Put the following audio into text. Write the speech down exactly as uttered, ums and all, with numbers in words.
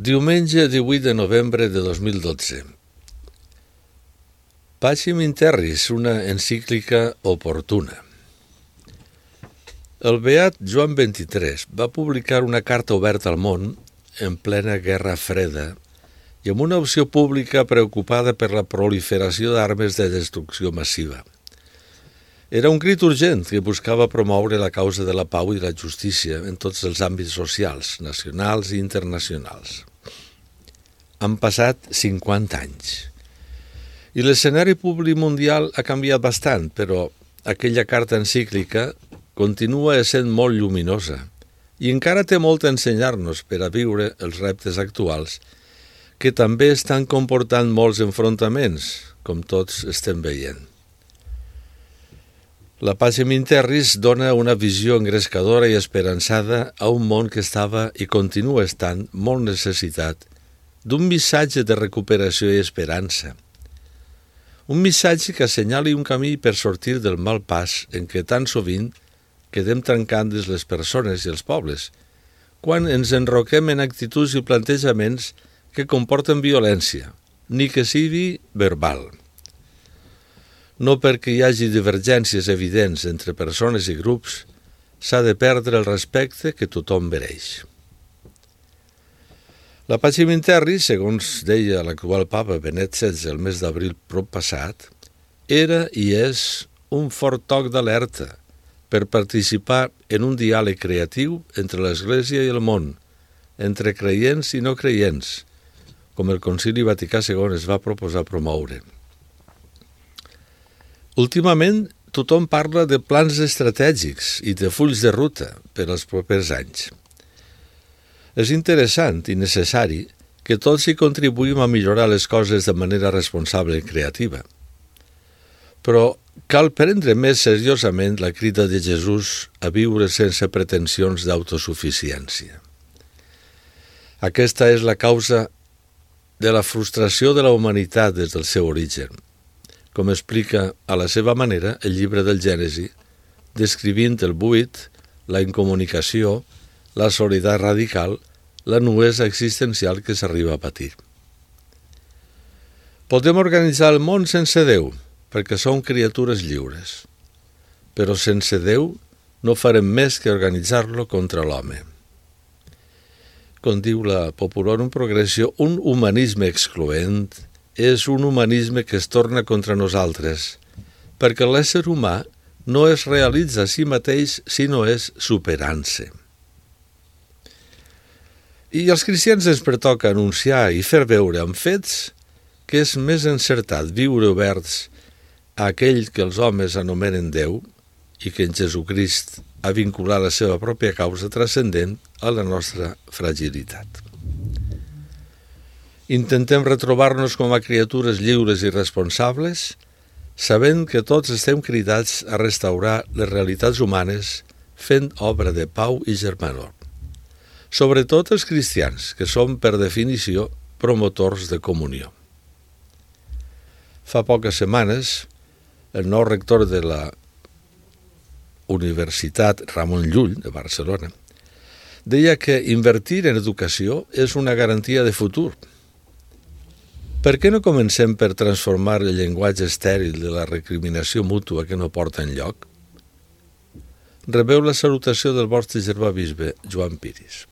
Diumenge divuit de novembre de dos mil dotze. Pacem in Terris, una encíclica oportuna. El beat Joan vint-i-tres va publicar una carta oberta al món en plena Guerra Freda i amb una opció pública preocupada per la proliferació d'armes de destrucció massiva. Era un crit urgent que buscava promoure la causa de la pau i la justícia en tots els àmbits socials, nacionals i internacionals. Han passat cinquanta anys. I l'escenari públic mundial ha canviat bastant, però aquella carta encíclica continua essent molt lluminosa i encara té molt a ensenyar-nos per a viure els reptes actuals que també estan comportant molts enfrontaments, com tots estem veient. La Pacem in Terris dona una visió engrescadora i esperançada a un món que estava i continua estant molt necessitat d'un missatge de recuperació i esperança. Un missatge que assenyali un camí per sortir del mal pas en què tan sovint quedem trencant-nos les persones i els pobles, quan ens enroquem en actituds i plantejaments que comporten violència, ni que sigui verbal. No perquè hi hagi divergències evidents entre persones i grups, s'ha de perdre el respecte que tothom mereix. La Pacem in Terris, segons deia l'actual papa Benet setze el mes d'abril proppassat, era i és un fort toc d'alerta per participar en un diàleg creatiu entre l'Església i el món, entre creients i no creients, com el Concili Vaticà segon es va proposar promoure. Últimament, tothom parla de plans estratègics i de fulls de ruta per als propers anys. És interessant i necessari que tots hi contribuïm a millorar les coses de manera responsable i creativa. Però cal prendre més seriosament la crida de Jesús a viure sense pretensions d'autosuficiència. Aquesta és la causa de la frustració de la humanitat des del seu origen, com explica a la seva manera el llibre del Gènesi, descrivint el buit, la incomunicació, la soledat radical, la nuesa existencial que s'arriba a patir. Podem organitzar el món sense Déu, perquè som criatures lliures, però sense Déu no farem més que organitzar-lo contra l'home. Com diu la Populorum Progressio, un humanisme excloent és un humanisme que es torna contra nosaltres, perquè l'ésser humà no es realitza a si mateix si no és superant-se. I als cristians ens pertoca anunciar i fer veure amb fets que és més encertat viure oberts a aquell que els homes anomenen Déu i que en Jesucrist ha vinculat la seva pròpia causa transcendent a la nostra fragilitat. Intentem retrobar-nos com a criatures lliures i responsables, sabent que tots estem cridats a restaurar les realitats humanes fent obra de pau i germanor. Sobretot els cristians, que som, per definició, promotors de comunió. Fa poques setmanes, el nou rector de la Universitat Ramon Llull, de Barcelona, deia que invertir en educació és una garantia de futur. Per què no comencem per transformar el llenguatge estèril de la recriminació mútua que no porta enlloc? Rebeu la salutació del vostre germà bisbe, Joan Piris.